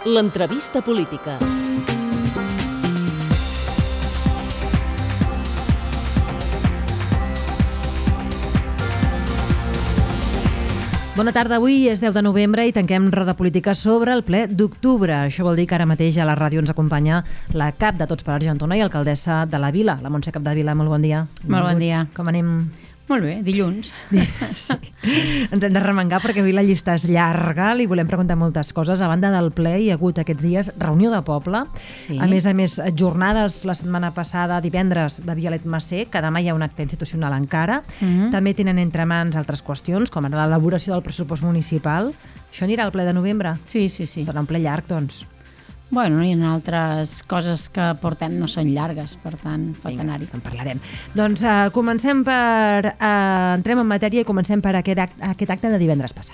L'entrevista política. Bona tarda, avui és 10 de novembre i tanquem Roda Política sobre el ple d'octubre. Això vol dir que ara mateix a la ràdio ens acompanya la cap de Tots per Argentona i alcaldessa de la Vila, la Montse Capdevila. Molt bon dia. Molt bon dia. Com anem? Molt bé, dilluns. Sí. Ens hem de remengar perquè avui la llista és llarga, li volem preguntar moltes coses. A banda del ple hi ha hagut aquests dies reunió de poble, Sí. a més, jornades la setmana passada, divendres, de Vialet Macer, que demà hi ha un acte institucional encara. També tenen entre mans altres qüestions, com ara l'elaboració del pressupost municipal. Això anirà al ple de novembre? Sí. Serà un ple llarg, doncs. Bueno, hi ha altres coses que portem no són llargues, per tant, pot anar-hi. En parlarem. Doncs comencem per... entrem en matèria i comencem per aquest acte de divendres passat.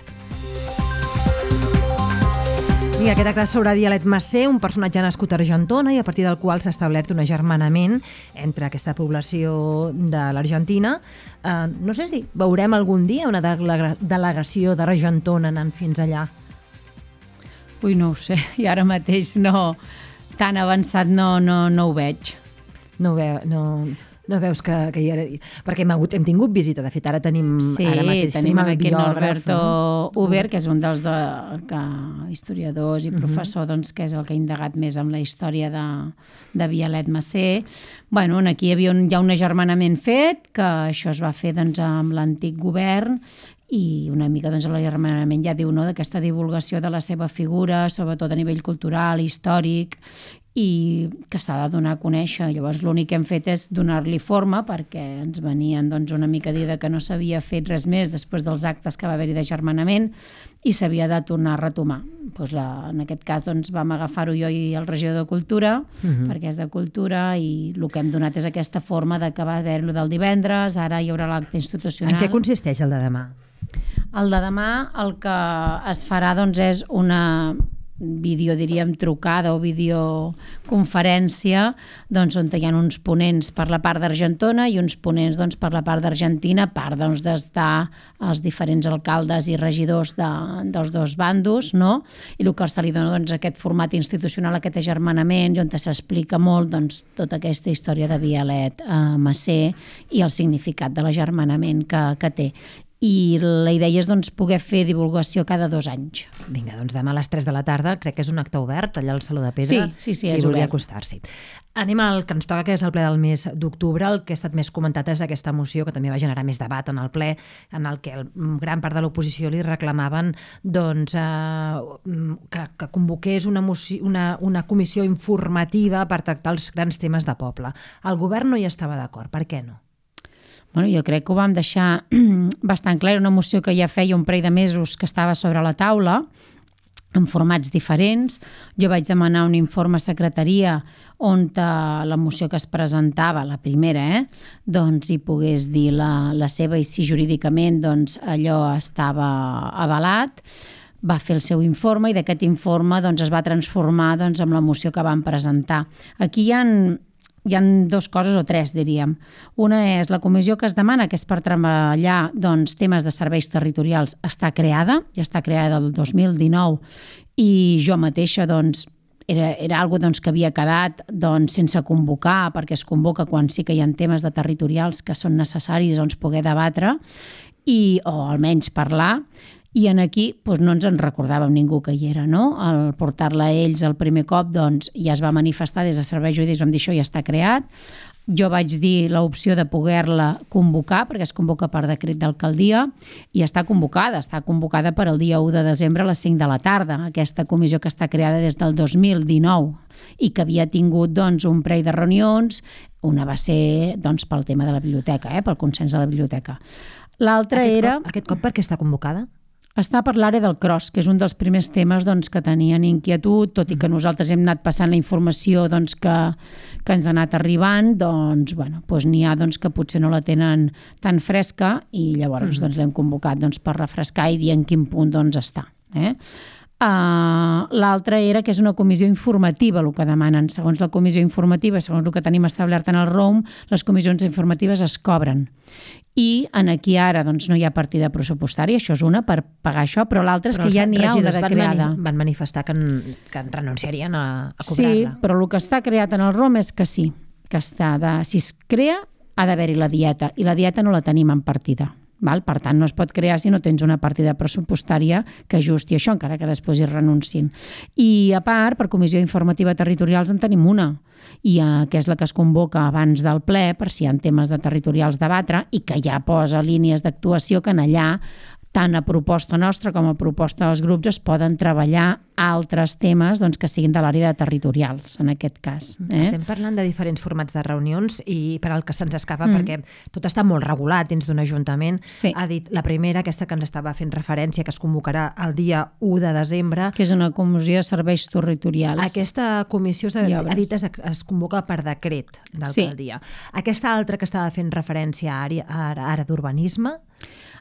Vinga, aquest acte sobre Vialet Macer, un personatge nascut a Argentona i a partir del qual s'ha establert un agermanament entre aquesta població de l'Argentina. No sé si veurem algun dia una delegació d'Argentona anant fins allà. Ui, no ho sé, i ara mateix no, tan avançat no ho veig. No veus que hi era... Perquè hem tingut visita, de fet, ara tenim... Sí, ara mateix tenim el aquí biògraf, Norberto Uber, que és un dels historiadors i professor, doncs, que és el que ha indagat més amb la història de Vialet Macer. Bueno, aquí hi ha un agermanament fet, que això es va fer doncs, amb l'antic govern, i una mica doncs, l'agermanament ja diu d'aquesta divulgació de la seva figura, sobretot a nivell cultural, històric, i que s'ha de donar a conèixer. Llavors l'únic que hem fet és donar-li forma, perquè ens venien doncs, una mica a dir que no s'havia fet res més després dels actes que va haver-hi d'agermanament i s'havia de tornar a retomar. Doncs en aquest cas doncs, vam agafar-ho jo i el regidor de Cultura, perquè és de Cultura, i el que hem donat és aquesta forma de que va haver-lo del divendres, ara hi haurà l'acte institucional. En què consisteix el de demà? El de demà el que es farà doncs, és una trucada o videoconferència doncs, on hi ha uns ponents per la part d'Argentona i uns ponents doncs, per la part d'Argentina, a part doncs, d'estar els diferents alcaldes i regidors dels dos bandos, no? I el que se li dona doncs, aquest format institucional, aquest agermanament, on s'explica molt doncs, tota aquesta història de Vialet Macer i el significat de l'agermanament que té. I la idea és doncs, poder fer divulgació cada 2 anys. Vinga, doncs demà a les 3 de la tarda, crec que és un acte obert, allà al Saló de Pedra, sí, qui és vulgui obert. acostar-s'hi. Anem al que ens toca, que és el ple del mes d'octubre. El que ha estat més comentat és aquesta moció, que també va generar més debat en el ple, en el que gran part de l'oposició li reclamaven doncs, que convoqués una comissió informativa per tractar els grans temes de poble. El govern no hi estava d'acord. Per què no? Bueno, jo crec que ho vam deixar bastant clar. Era una moció que ja feia un parell de mesos que estava sobre la taula, en formats diferents. Jo vaig demanar un informe a secretaria on la moció que es presentava, la primera, doncs hi pogués dir la seva i si jurídicament doncs, allò estava avalat. Va fer el seu informe i d'aquest informe doncs, es va transformar doncs, en la moció que van presentar. Aquí hi ha 2 coses o 3, diríem. Una és la comissió que es demana, que és per treballar doncs, temes de serveis territorials, està creada, ja està creada el 2019 i jo mateixa doncs, era algo doncs, que havia quedat doncs, sense convocar, perquè es convoca quan sí que hi ha temes de territorials que són necessaris doncs, poder debatre o almenys parlar. I aquí doncs, no ens en recordàvem ningú que hi era, no? Al portar-la a ells el primer cop doncs, ja es va manifestar des de serveis jurídics, vam dir això ja està creat. Jo vaig dir l'opció de poder-la convocar, perquè es convoca per decret d'alcaldia, i està convocada per al dia 1 de desembre a les 5 de la tarda, aquesta comissió que està creada des del 2019 i que havia tingut doncs, un parell de reunions, una va ser doncs, pel tema de la biblioteca, pel consens de la biblioteca. L'altra era... Aquest cop per què està convocada? Està per l'àrea del Cros, que és un dels primers temes doncs, que tenien inquietud, tot i que nosaltres hem anat passant la informació doncs, que ens ha anat arribant, doncs, bueno, doncs n'hi ha doncs, que potser no la tenen tan fresca i llavors doncs, l'hem convocat doncs, per refrescar i dir en quin punt doncs, està. L'altra era que és una comissió informativa, el que demanen. Segons la comissió informativa, segons el que tenim establert en el ROM, les comissions informatives es cobren. I aquí ara doncs, no hi ha partida pressupostària, això és una, per pagar això, però l'altra és que ja n'hi ha una de creada. Van manifestar que renunciarien a cobrar-la. Sí, però el que està creat en el ROM és que sí, que si es crea ha d'haver-hi la dieta, i la dieta no la tenim en partida. Val? Per tant, no es pot crear si no tens una partida pressupostària que ajusti això, encara que després hi renuncin. I a part, per comissió informativa territorials en tenim una, i que és la que es convoca abans del ple per si hi ha temes de territorials debatre i que ja posa línies d'actuació que en allà, tant a proposta nostra com a proposta dels grups, es poden treballar altres temes doncs, que siguin de l'àrea de territorials, en aquest cas. Estem parlant de diferents formats de reunions i per al que se'ns escapa, perquè tot està molt regulat dins d'un ajuntament. Sí. Ha dit la primera, aquesta que ens estava fent referència, que es convocarà el dia 1 de desembre. Que és una comissió de serveis territorials. Aquesta comissió ha dit es convoca per decret d'alcaldia. Sí. Aquesta altra que estava fent referència a àrea d'urbanisme,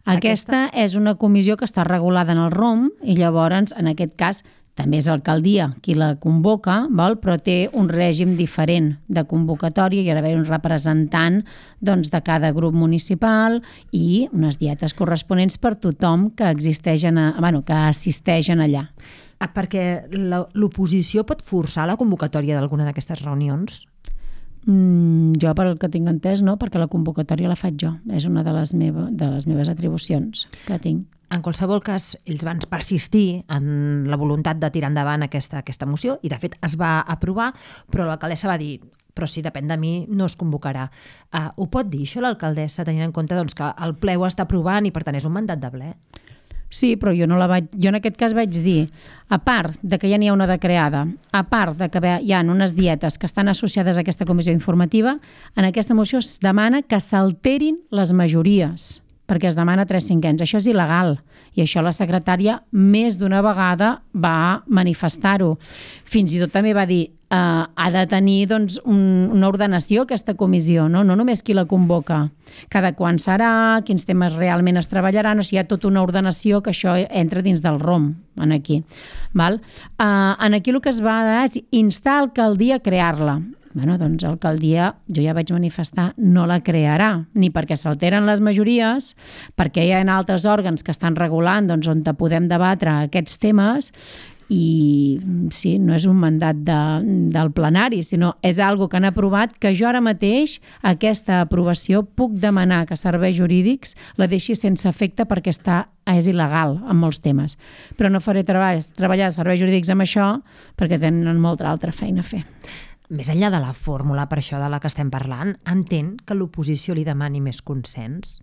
aquesta és una comissió que està regulada en el ROM i llavors, en aquest cas, també és l'alcaldia qui la convoca, però té un règim diferent de convocatòria, hi ha d'haver un representant de cada grup municipal i unes dietes corresponents per tothom que assisteix allà. Perquè l'oposició pot forçar la convocatòria d'alguna d'aquestes reunions? Jo, per el que tinc entès, no, perquè la convocatòria la faig jo. És una de les meves atribucions que tinc. En qualsevol cas, ells van persistir en la voluntat de tirar endavant aquesta moció i, de fet, es va aprovar, però l'alcaldessa va dir però si depèn de mi no es convocarà. Ho pot dir això l'alcaldessa, tenint en compte que el ple ho està aprovant i, per tant, és un mandat de ple? Sí, però jo en aquest cas vaig dir, a part de que ja n'hi ha una de creada, a part de que hi ha unes dietes que estan associades a aquesta comissió informativa, en aquesta moció es demana que s'alterin les majories, perquè es demana 3/5. Això és il·legal i això la secretària més d'una vegada va manifestar-ho. Fins i tot també va dir ha de tenir una ordenació aquesta comissió, no només qui la convoca, cada quan serà, quins temes realment es treballaran, o sigui, hi ha tota una ordenació que això entra dins del ROM, aquí. Aquí el que es va és instar l'alcaldia a crear-la. Doncs l'alcaldia, jo ja vaig manifestar, no la crearà, ni perquè s'alteren les majories, perquè hi ha altres òrgans que estan regulant on podem debatre aquests temes, i sí, no és un mandat del plenari, sinó és algo que han aprovat, que jo ara mateix aquesta aprovació puc demanar que serveis jurídics la deixi sense efecte perquè és il·legal en molts temes. Però no faré treballar serveis jurídics amb això perquè tenen molta altra feina a fer. Més enllà de la fórmula, per això de la que estem parlant, entén que l'oposició li demani més consens?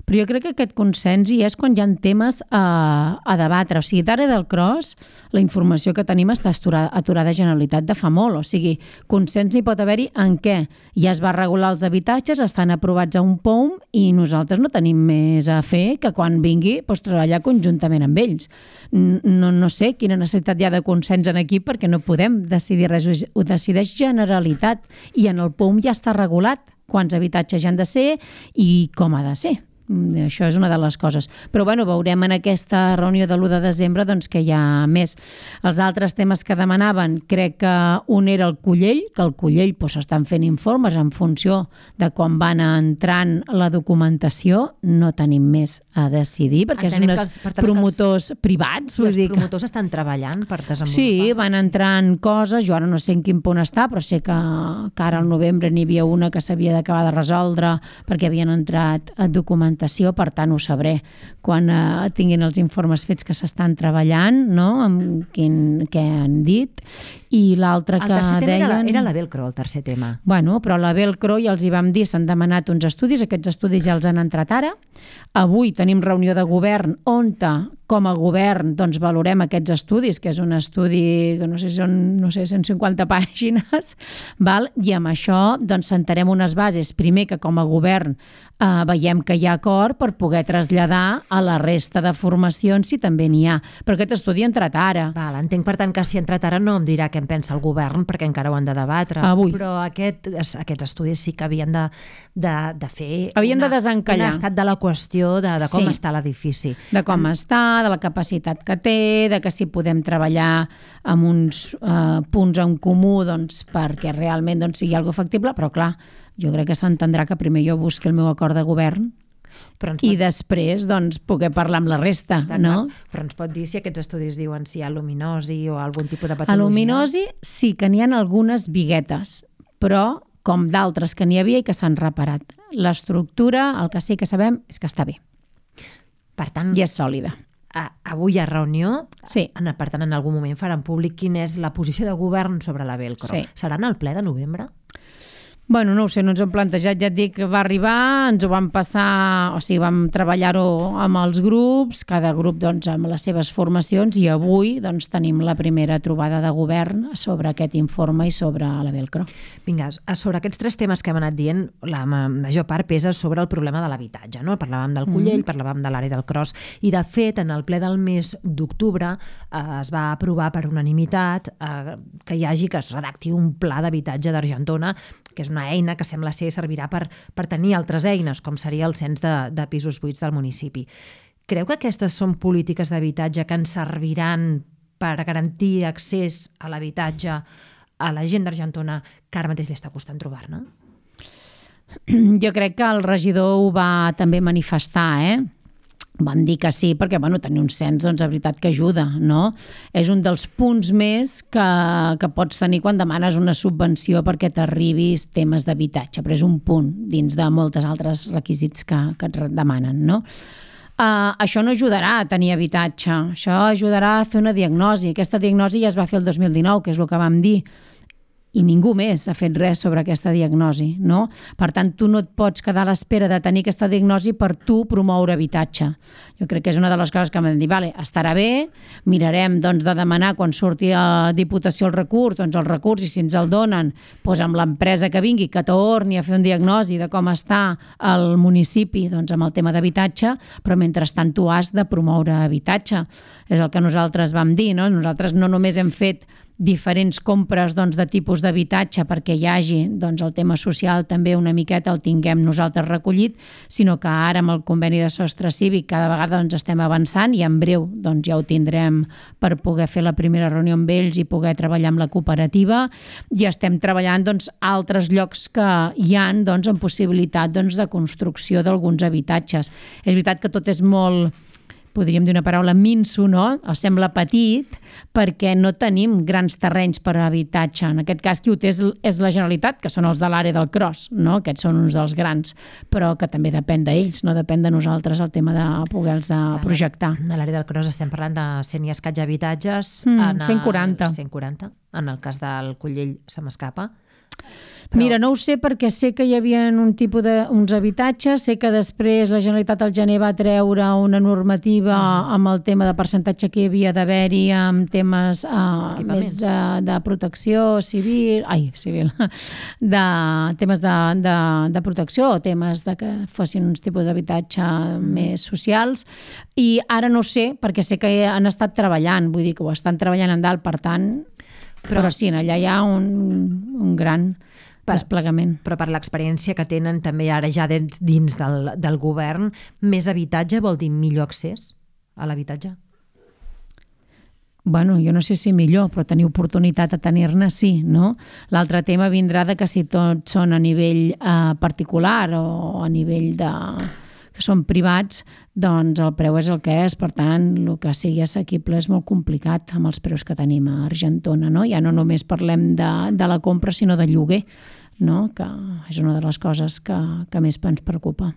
Però jo crec que aquest consens hi és quan hi ha temes a debatre. O sigui, d'ara del Cros, la informació que tenim està aturada a Generalitat de fa molt. O sigui, consens n'hi pot haver-hi en què ja es va regular els habitatges, estan aprovats a un POUM i nosaltres no tenim més a fer que quan vingui treballar conjuntament amb ells. No sé quina necessitat hi ha de consens en aquí perquè no podem decidir res. Ho decideix Generalitat i en el POUM ja està regulat quants habitatges hi han de ser i com ha de ser. Això és una de les coses. Però veurem en aquesta reunió de l'1 de desembre que hi ha més. Els altres temes que demanaven, crec que un era el Cullell, que el Cullell s'estan fent informes en funció de quan van entrant la documentació. No tenim més a decidir, perquè són uns promotors privats. I els promotors estan treballant per desenvolupar? Sí, van entrant coses. Jo ara no sé en quin punt està, però sé que ara al novembre n'hi havia una que s'havia d'acabar de resoldre perquè havien entrat a documentació. Per tant, ho sabré quan tinguin els informes fets que s'estan treballant, amb què han dit. I l'altre que deien... El tercer tema era la Velcro, el tercer tema. Però la Velcro ja els hi vam dir, s'han demanat uns estudis, aquests estudis ja els han entrat ara. Avui tenim reunió de govern on com a govern valorem aquests estudis, que és un estudi que no sé si són 150 pàgines, i amb això sentarem unes bases. Primer que com a govern veiem que hi ha acord per poder traslladar a la resta de formacions si també n'hi ha. Però aquest estudi ha entrat ara. Entenc, per tant, que si ha entrat ara no em dirà què en pensa el govern, perquè encara ho han de debatre. Avui. Però aquests estudis sí que havien de fer havien de desencallar un estat de la qüestió de com està l'edifici. De com està, de la capacitat que té, de que si podem treballar amb uns punts en comú doncs, perquè realment doncs, sigui algo factible, però clar, jo crec que s'entendrà que primer jo busqui el meu acord de govern i després doncs, poder parlar amb la resta. No? Però ens pot dir si aquests estudis diuen si hi ha luminosi o algun tipus de patologia? A luminosi sí que n'hi ha algunes biguetes, però com d'altres que n'hi havia i que s'han reparat. L'estructura, el que sí que sabem és que està bé. Per tant, i és sòlida. Avui hi ha reunió, sí. Per tant en algun moment faran públic quina és la posició de govern sobre la Velcro. Sí. Serà en el ple de novembre? Bueno, no ho sé, no ens ho hem plantejat, ja et dic que va arribar, ens ho vam passar, o sigui, vam treballar-ho amb els grups, cada grup doncs amb les seves formacions, i avui doncs tenim la primera trobada de govern sobre aquest informe i sobre la Velcro. Vinga, sobre aquests 3 temes que hem anat dient, la major part pesa sobre el problema de l'habitatge, no? Parlàvem del Collell, parlàvem de l'àrea del Cros, i de fet en el ple del mes d'octubre es va aprovar per unanimitat que es redacti un pla d'habitatge d'Argentona, que és una eina que sembla ser servirà per tenir altres eines, com seria el cens de pisos buits del municipi. Creu que aquestes són polítiques d'habitatge que ens serviran per garantir accés a l'habitatge a la gent d'Argentona que ara mateix li està costant trobar-ne? Jo crec que el regidor ho va també manifestar, Vam dir que sí, perquè tenir un cens, doncs, de veritat que ajuda, no? És un dels punts més que pots tenir quan demanes una subvenció perquè t'arribis temes d'habitatge, però és un punt dins de moltes altres requisits que et demanen, no? Això no ajudarà a tenir habitatge, això ajudarà a fer una diagnosi. Aquesta diagnosi ja es va fer el 2019, que és el que vam dir, i ningú més ha fet res sobre aquesta diagnosi, no? Per tant, tu no et pots quedar a l'espera de tenir aquesta diagnosi per tu promoure habitatge. Jo crec que és una de les coses que m'han dit, estarà bé, mirarem doncs, de demanar quan surti a Diputació el recurs, doncs el recurs, i si ens el donen, doncs amb l'empresa que vingui, que torni a fer un diagnosi de com està el municipi doncs, amb el tema d'habitatge, però mentrestant tu has de promoure habitatge. És el que nosaltres vam dir, no? Nosaltres no només hem fet diferents compres doncs, de tipus d'habitatge perquè hi hagi doncs, el tema social també una miqueta el tinguem nosaltres recollit, sinó que ara amb el conveni de sostre cívic cada vegada doncs, estem avançant i en breu doncs, ja ho tindrem per poder fer la primera reunió amb ells i poder treballar amb la cooperativa, i estem treballant doncs, altres llocs que hi ha doncs, en possibilitat doncs, de construcció d'alguns habitatges. És veritat que tot és molt, podríem dir una paraula, minso, no? O sembla petit, perquè no tenim grans terrenys per a habitatge. En aquest cas, qui ho té és la Generalitat, que són els de l'àrea del Cros, no? Aquests són uns dels grans, però que també depèn d'ells, no depèn de nosaltres el tema de poder-los projectar. A l'àrea del Cros estem parlant de 100 i escaig habitatges. 140. 140. En el cas del Collell se m'escapa. Mira, no ho sé perquè sé que hi havia un tipus d'uns habitatges, sé que després la Generalitat al gener va treure una normativa amb el tema de percentatge que hi havia d'haver-hi amb temes més de protecció civil, de temes de protecció o temes de que fossin uns tipus d'habitatge més socials, i ara no sé perquè sé que han estat treballant, vull dir que ho estan treballant en dalt, per tant, però sí, allà hi ha un gran desplegament. Però per l'experiència que tenen també ara ja dins del govern, més habitatge vol dir millor accés a l'habitatge? Bueno, jo no sé si millor, però tenir oportunitat de tenir-ne sí, no? L'altre tema vindrà de que si tots són a nivell particular o a nivell que són privats, doncs el preu és el que és, per tant, el que sigui assequible és molt complicat amb els preus que tenim a Argentona, no? Ja no només parlem de la compra, sinó de lloguer, no? Que és una de les coses que més ens preocupa.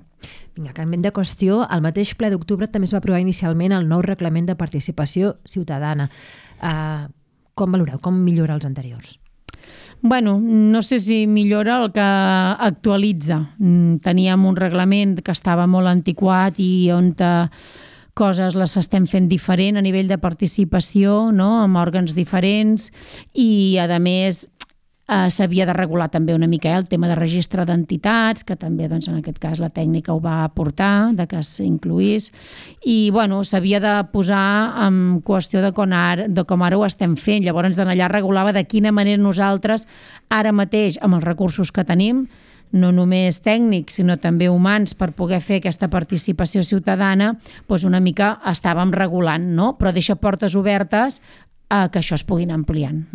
Vinga, canviem de qüestió. Al mateix ple d'octubre també es va aprovar inicialment el nou reglament de participació ciutadana. Com valoreu? Com millora els anteriors? Bueno, no sé si millora el que actualitza. Teníem un reglament que estava molt antiquat i on coses les estem fent diferent a nivell de participació, no? Amb òrgans diferents, i a més s'havia de regular també una mica el tema de registre d'entitats, que també doncs, en aquest cas la tècnica ho va aportar, de que s'incluís, i bueno, s'havia de posar en qüestió de com ara ho estem fent. Llavors allà regulava de quina manera nosaltres ara mateix amb els recursos que tenim no només tècnics, sinó també humans, per poder fer aquesta participació ciutadana, doncs una mica estàvem regulant, no? Però deixa portes obertes a que això es puguin ampliant.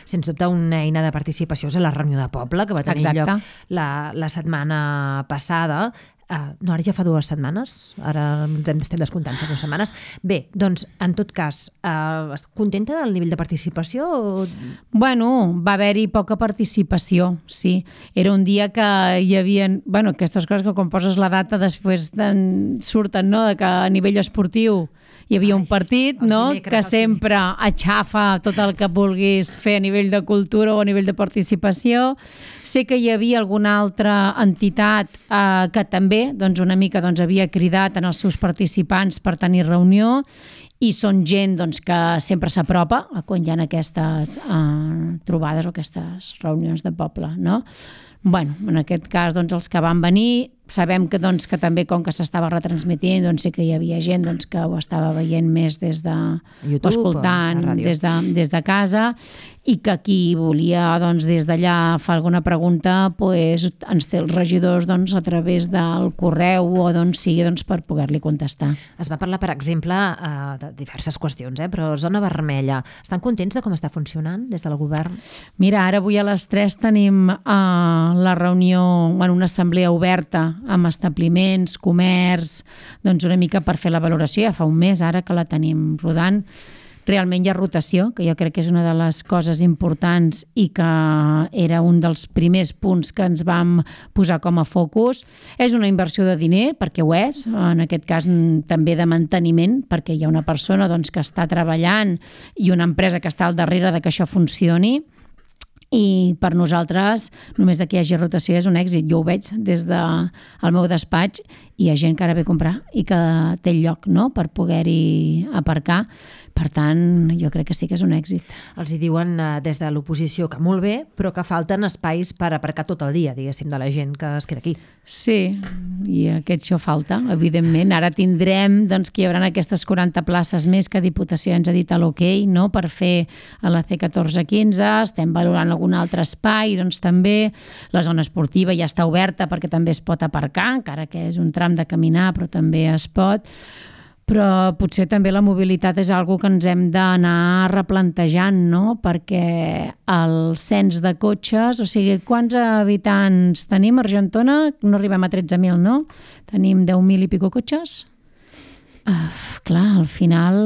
Sens dubte, una eina de participació és la reunió de poble, que va tenir lloc la setmana passada. No, ara ja fa 2 setmanes, ara ens estem descomptant fa 2 setmanes. Bé, doncs, en tot cas, contenta del nivell de participació? Bueno, va haver-hi poca participació, sí. Era un dia que hi havia... Bueno, aquestes coses que quan poses la data després surten, no?, de que a nivell esportiu hi havia un partit, no?, que sempre aixafa tot el que vulguis fer a nivell de cultura o a nivell de participació. Sé que hi havia alguna altra entitat que també doncs, una mica havia cridat en els seus participants per tenir reunió, i són gent doncs, que sempre s'apropa quan hi ha aquestes trobades o aquestes reunions de poble, no? Bueno, en aquest cas, doncs, els que van venir, sabem que, doncs, que també, com que s'estava retransmitint, doncs sí que hi havia gent doncs, que ho estava veient més des de... YouTube, escoltant des de casa, i que qui volia doncs, des d'allà fer alguna pregunta doncs, ens té els regidors doncs, a través del correu o d'on sigui doncs, per poder-li contestar. Es va parlar, per exemple, de diverses qüestions, però Zona Vermella. Estan contents de com està funcionant des del govern? Mira, ara avui a les 3 tenim la reunió, una assemblea oberta amb establiments, comerç, doncs una mica per fer la valoració. Ja fa un mes ara que la tenim rodant. Realment hi ha rotació, que jo crec que és una de les coses importants i que era un dels primers punts que ens vam posar com a focus. És una inversió de diner, perquè ho és, en aquest cas també de manteniment, perquè hi ha una persona doncs, que està treballant i una empresa que està al darrere de que això funcioni. I per nosaltres només que hi hagi rotació és un èxit. Jo ho veig des del meu despatx i hi ha gent que ara ve a comprar i que té el lloc, no?, per poder-hi aparcar. Per tant, jo crec que sí que és un èxit. Els hi diuen des de l'oposició que molt bé, però que falten espais per aparcar tot el dia, diguéssim, de la gent que es queda aquí. Sí, i això falta, evidentment. Ara tindrem doncs, que hi haurà aquestes 40 places més que Diputació ens ha dit a l'OK, no?, per fer a la C14-15. Estem valorant algun altre espai, doncs també la zona esportiva ja està oberta perquè també es pot aparcar, encara que és un tram de caminar, però també es pot. Però potser també la mobilitat és una cosa que ens hem d'anar replantejant, no?, perquè el cens de cotxes, o sigui, quants habitants tenim a Argentona? No arribem a 13.000, no? Tenim 10.000 i pico cotxes? Clar, al final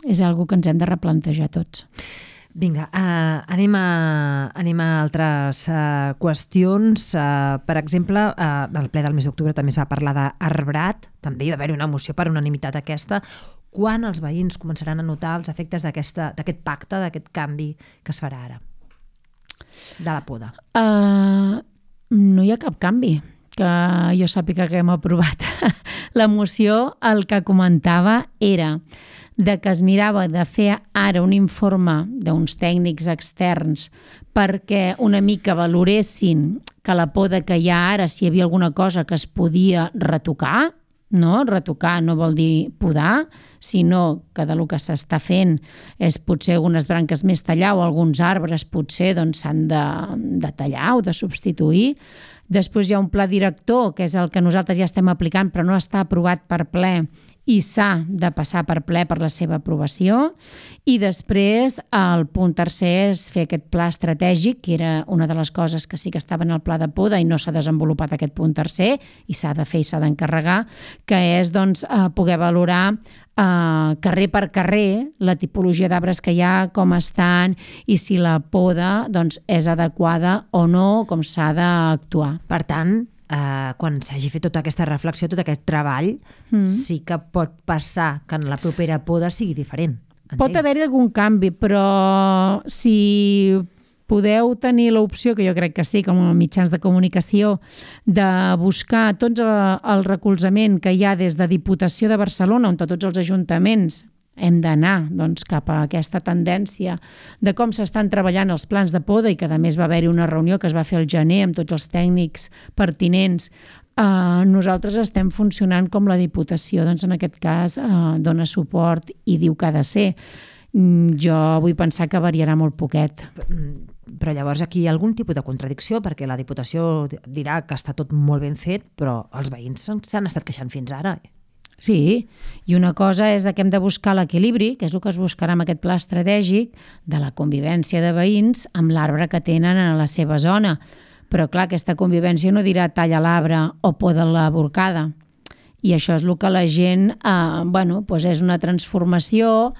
és una cosa que ens hem de replantejar tots. Vinga, anem a altres qüestions. Per exemple, al ple del mes d'octubre també es va parlar d'arbrat, també hi va haver una moció per unanimitat aquesta. Quan els veïns començaran a notar els efectes d'aquest pacte, d'aquest canvi que es farà ara, de la poda? No hi ha cap canvi que jo sàpiga que hem aprovat. La moció, el que comentava era de que es mirava de fer ara un informe d'uns tècnics externs perquè una mica valoressin que la poda que hi ha ara, si hi havia alguna cosa que es podia retocar, no? Retocar no vol dir podar, sinó que del que s'està fent és potser algunes branques més tallar o alguns arbres potser s'han de tallar o de substituir. Després hi ha un pla director, que és el que nosaltres ja estem aplicant, però no està aprovat per ple, i s'ha de passar per ple per la seva aprovació. I després el punt tercer és fer aquest pla estratègic, que era una de les coses que sí que estava en el pla de poda i no s'ha desenvolupat aquest punt tercer, i s'ha de fer i s'ha d'encarregar, que és poder valorar carrer per carrer la tipologia d'arbres que hi ha, com estan i si la poda és adequada o no, com s'ha d'actuar. Per tant, quan s'hagi fet tota aquesta reflexió, tot aquest treball, sí que pot passar que en la propera poda sigui diferent. Pot haver-hi algun canvi, però si podeu tenir l'opció, que jo crec que sí, com a mitjans de comunicació, de buscar tot el recolzament que hi ha des de Diputació de Barcelona, on tots els ajuntaments hem d'anar cap a aquesta tendència de com s'estan treballant els plans de poda i que a més va haver-hi una reunió que es va fer al gener amb tots els tècnics pertinents. Nosaltres estem funcionant com la Diputació, en aquest cas dona suport i diu que ha de ser. Jo vull pensar que variarà molt poquet. Però llavors aquí hi ha algun tipus de contradicció, perquè la Diputació dirà que està tot molt ben fet, però els veïns s'han estat queixant fins ara. Sí, i una cosa és que hem de buscar l'equilibri, que és el que es buscarà amb aquest pla estratègic de la convivència de veïns amb l'arbre que tenen a la seva zona. Però clar, aquesta convivència no dirà talla l'arbre o poda la borcada. I això és el que la gent, és una transformació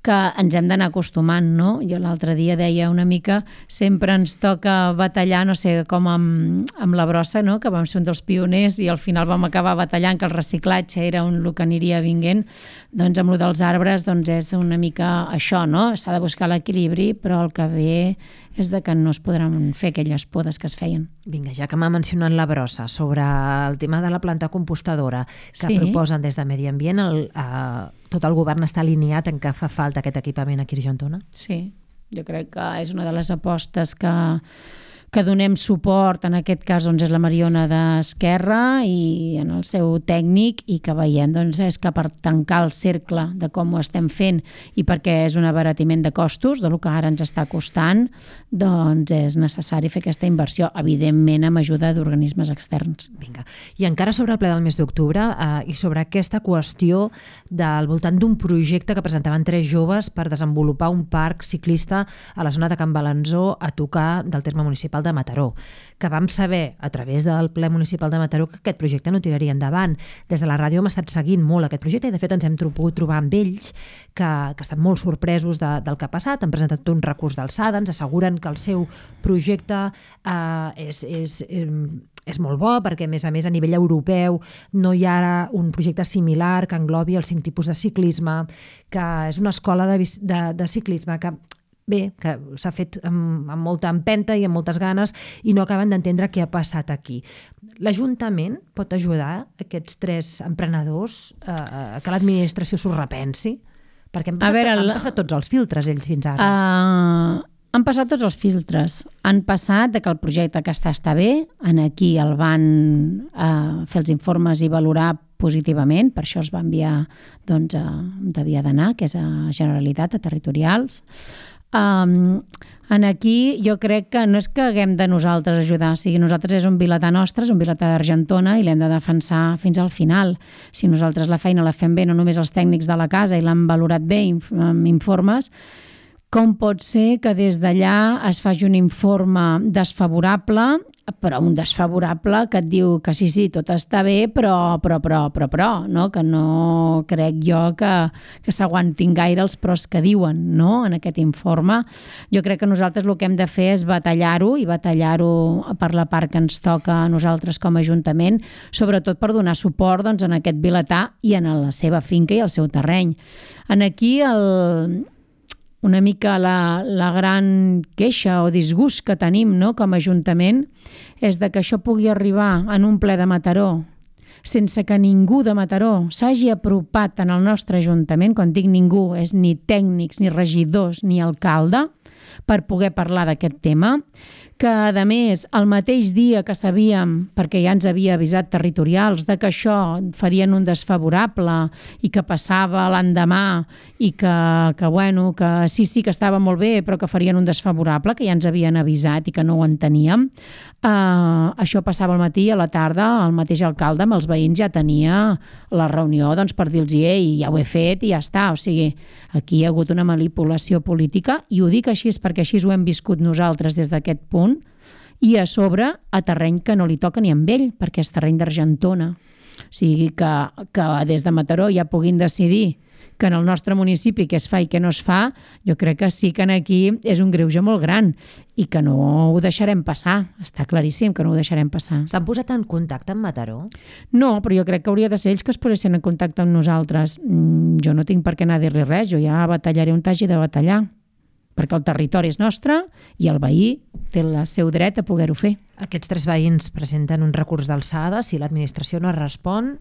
que ens hem d'anar acostumant, no? Jo l'altre dia deia una mica, sempre ens toca batallar, no sé, com amb la brossa, no? Que vam ser un dels pioners i al final vam acabar batallant que el reciclatge era el que aniria vinguent. Doncs amb el dels arbres és una mica això, no? S'ha de buscar l'equilibri, però el que ve és que no es podran fer aquelles podes que es feien. Vinga, ja que m'ha mencionat la brossa, sobre el tema de la planta compostadora que proposen des de Medi Ambient, tot el govern està alineat en què fa falta aquest equipament aquí a Argentona? Sí, jo crec que és una de les apostes que donem suport, en aquest cas és la Mariona d'Esquerra i en el seu tècnic, i que veiem és que per tancar el cercle de com ho estem fent i perquè és un abaratiment de costos, del que ara ens està costant, és necessari fer aquesta inversió, evidentment amb ajuda d'organismes externs. Vinga. I encara sobre el ple del mes d'octubre i sobre aquesta qüestió del voltant d'un projecte que presentaven 3 joves per desenvolupar un parc ciclista a la zona de Can Balanzó a tocar del terme municipal de Mataró, que vam saber a través del ple municipal de Mataró que aquest projecte no tiraria endavant. Des de la ràdio hem estat seguint molt aquest projecte i de fet ens hem pogut trobar amb ells que estan molt sorpresos del que ha passat, han presentat un recurs d'alçada, ens asseguren que el seu projecte és molt bo perquè a més a nivell europeu no hi ha un projecte similar que englobi els 5 tipus de ciclisme, que és una escola de ciclisme que s'ha fet amb molta empenta i amb moltes ganes i no acaben d'entendre què ha passat aquí. L'Ajuntament pot ajudar aquests 3 emprenedors a que l'administració s'ho repensi? Perquè han passat tots els filtres ells fins ara. Han passat tots els filtres. Han passat que el projecte que està bé, aquí el van fer els informes i valorar positivament, per això es va enviar on havia d'anar, que és a Generalitat, a Territorials. Aquí jo crec que no és que haguem de nosaltres ajudar, o sigui, nosaltres és un vilatà nostre, és un vilatà d'Argentona i l'hem de defensar fins al final. Si nosaltres la feina la fem bé, no només els tècnics de la casa i l'han valorat bé amb informes, com pot ser que des d'allà es faci un informe desfavorable, però un desfavorable que et diu que sí, tot està bé, però, no? Que no crec jo que s'aguantin gaire els pros que diuen, no? En aquest informe. Jo crec que nosaltres el que hem de fer és batallar-ho i batallar-ho per la part que ens toca a nosaltres com a Ajuntament, sobretot per donar suport en aquest vilatà i en la seva finca i el seu terreny. Aquí una mica la gran queixa o disgust que tenim, no, com a Ajuntament és que això pugui arribar en un ple de Mataró sense que ningú de Mataró s'hagi apropat en el nostre Ajuntament, quan dic ningú és ni tècnics, ni regidors, ni alcalde, per poder parlar d'aquest tema, que a més el mateix dia que sabíem, perquè ja ens havia avisat Territorials, que això farien un desfavorable i que passava l'endemà i que sí que estava molt bé però que farien un desfavorable, que ja ens havien avisat i que no ho enteníem. Això passava al matí i a la tarda el mateix alcalde amb els veïns ja tenia la reunió per dir-los ja ho he fet i ja està. O sigui, aquí hi ha hagut una manipulació política i ho dic així perquè així ho hem viscut nosaltres des d'aquest punt i a sobre a terreny que no li toca ni amb ell perquè és terreny d'Argentona. O sigui que des de Mataró ja puguin decidir que en el nostre municipi què es fa i què no es fa, jo crec que sí que aquí és un greuge molt gran i que no ho deixarem passar. Està claríssim que no ho deixarem passar. S'han posat en contacte amb Mataró? No, però jo crec que hauria de ser ells que es posessin en contacte amb nosaltres. Jo no tinc per què anar a dir-li res, jo ja batallaré on t'hagi de batallar, perquè el territori és nostre i el veí té el seu dret a poder-ho fer. Aquests 3 veïns presenten un recurs d'alçada, si l'administració no respon,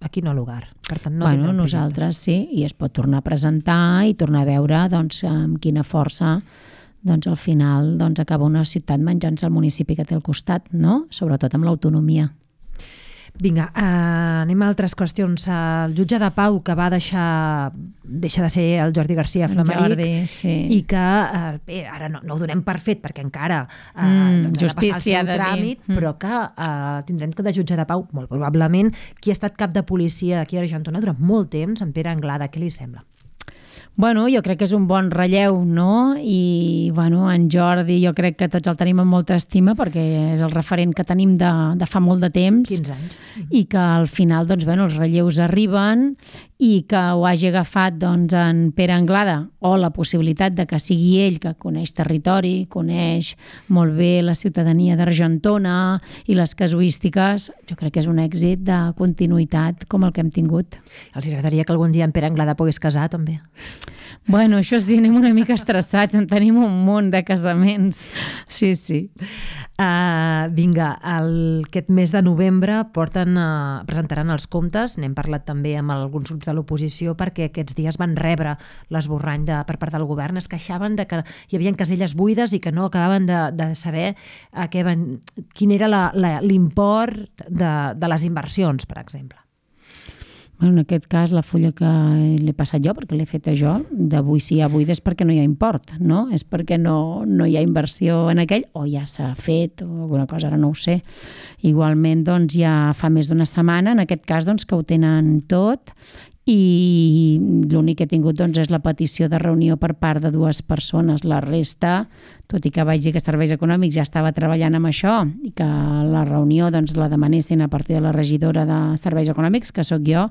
aquí no ha lugar. Per tant, no tindrà nosaltres sí, i es pot tornar a presentar i tornar a veure amb quina força al final acaba una ciutat menjant-se el municipi que té al costat, no? Sobretot amb l'autonomia. Vinga, anem a altres qüestions. El jutge de pau que va deixa de ser el Jordi García Flamaric i que bé, ara no ho donem per fet perquè encara ha de passar el seu tràmit, però que tindrem de jutge de pau, molt probablement, qui ha estat cap de policia aquí a Argentona durant molt temps, en Pere Anglada. Què li sembla? Bueno, jo crec que és un bon relleu, no? I, bueno, en Jordi jo crec que tots el tenim amb molta estima perquè és el referent que tenim de fa molt de temps. 15 anys. I que al final, doncs, bueno, els relleus arriben i que ho hagi agafat, doncs, en Pere Anglada, o la possibilitat de que sigui ell que coneix territori, coneix molt bé la ciutadania d'Argentona i les casuístiques, jo crec que és un èxit de continuïtat com el que hem tingut. Els agradaria que algun dia en Pere Anglada pogués casar, també? Bueno, això sí, anem una mica estressats, en tenim un munt de casaments. Sí, sí. Vinga, aquest mes de novembre presentaran els comptes, n'hem parlat també amb alguns grups de l'oposició perquè aquests dies van rebre l'esborrany per part del govern, es queixaven de que hi havia caselles buides i que no acabaven de saber quin era l'import de les inversions, per exemple. En aquest cas, la fulla que l'he passat jo, perquè l'he feta jo, d'avui si hi ha buida és perquè no hi ha import, no? És perquè no hi ha inversió en aquell, o ja s'ha fet, o alguna cosa, ara no ho sé. Igualment, doncs, ja fa més d'una setmana, en aquest cas, doncs, que ho tenen tot, i l'únic que he tingut doncs, és la petició de reunió per part de 2 persones. La resta, tot i que vaig dir que Serveis Econòmics ja estava treballant amb això i que la reunió doncs, la demanessin a partir de la regidora de Serveis Econòmics, que sóc jo,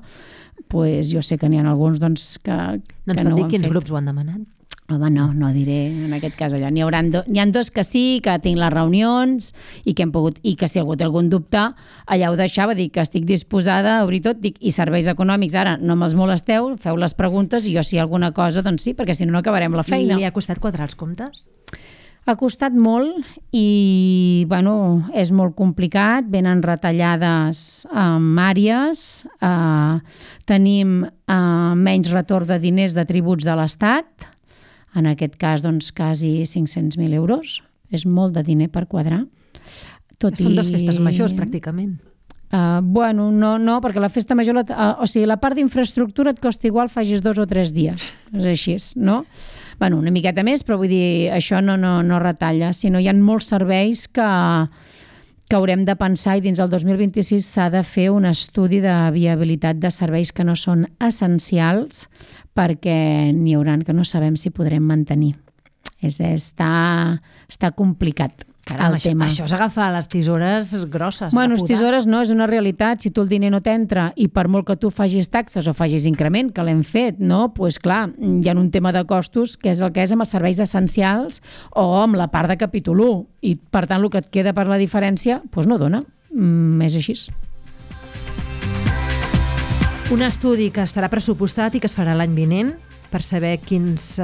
doncs jo sé que n'hi ha alguns doncs, que no ho han fet. No ens pot dir quins grups ho han demanat? Home, no diré en aquest cas allò. N'hi ha 2 que sí, que tinc les reunions i que hem pogut, i que si algú té algun dubte, allà ho deixava, dic que estic disposada a obrir tot, dic, i Serveis Econòmics, ara no me'ls molesteu, feu les preguntes i jo si hi ha alguna cosa, doncs sí, perquè si no acabarem la feina. I li ha costat quadrar els comptes? Ha costat molt i, bueno, és molt complicat, venen retallades en àrees, tenim menys retorn de diners de tributs de l'Estat, en aquest cas, doncs, quasi 500.000 euros. És molt de diner per quadrar. Són 2 festes majors, pràcticament. Bueno, no, perquè la festa major, o sigui, la part d'infraestructura et costa igual facis 2 o 3 dies. És així, no? Bueno, una miqueta més, però vull dir, això no retalla, sinó hi ha molts serveis que haurem de pensar i dins el 2026 s'ha de fer un estudi de viabilitat de serveis que no són essencials perquè n'hi hauran que no sabem si podrem mantenir. Està complicat. Caram, això és agafar les tisores grosses. Bueno, les tisores no, és una realitat. Si tu el diner no t'entra i per molt que tu facis taxes o facis increment, que l'hem fet, no? Doncs clar, hi ha un tema de costos que és el que és amb els serveis essencials o amb la part de capítol 1 i per tant el que et queda per la diferència doncs no dona. És així. Un estudi que estarà pressupostat i que es farà l'any vinent per saber quins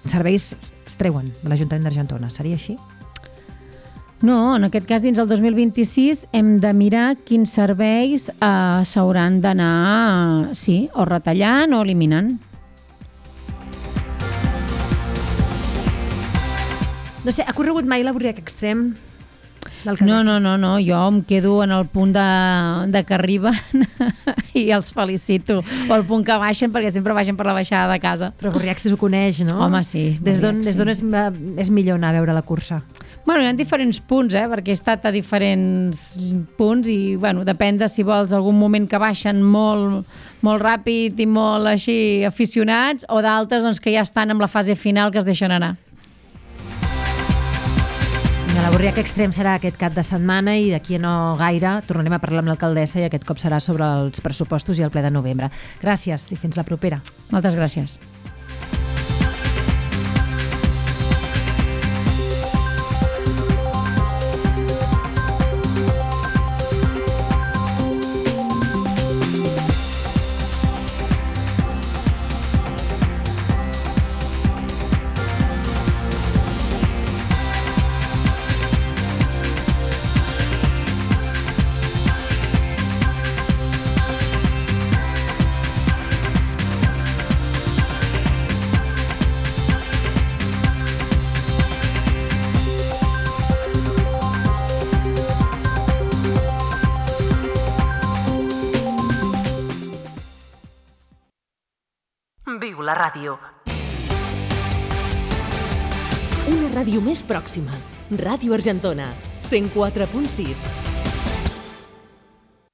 serveis es treuen de l'Ajuntament d'Argentona. Seria així? No, en aquest cas, dins el 2026, hem de mirar quins serveis s'hauran d'anar, sí, o retallant o eliminant. No sé, ha corregut mai l'Avorriac Extrem? No, jo em quedo en el punt de que arriben i els felicito. O el punt que baixen, perquè sempre baixen per la baixada de casa. Però Avorriac si ho coneix, no? Home, sí. Des d'on és millor anar a veure la cursa? Bueno, hi ha diferents punts, perquè he estat a diferents punts i, bueno, depèn de si vols algun moment que baixen molt ràpid i molt així aficionats o d'altres doncs, que ja estan en la fase final que es deixen anar. L'Avorriac Extrem serà aquest cap de setmana i d'aquí a no gaire tornarem a parlar amb l'alcaldessa i aquest cop serà sobre els pressupostos i el ple de novembre. Gràcies i fins la propera. Moltes gràcies. viu la ràdio. Una ràdio més pròxima. Ràdio Argentona, 104.6.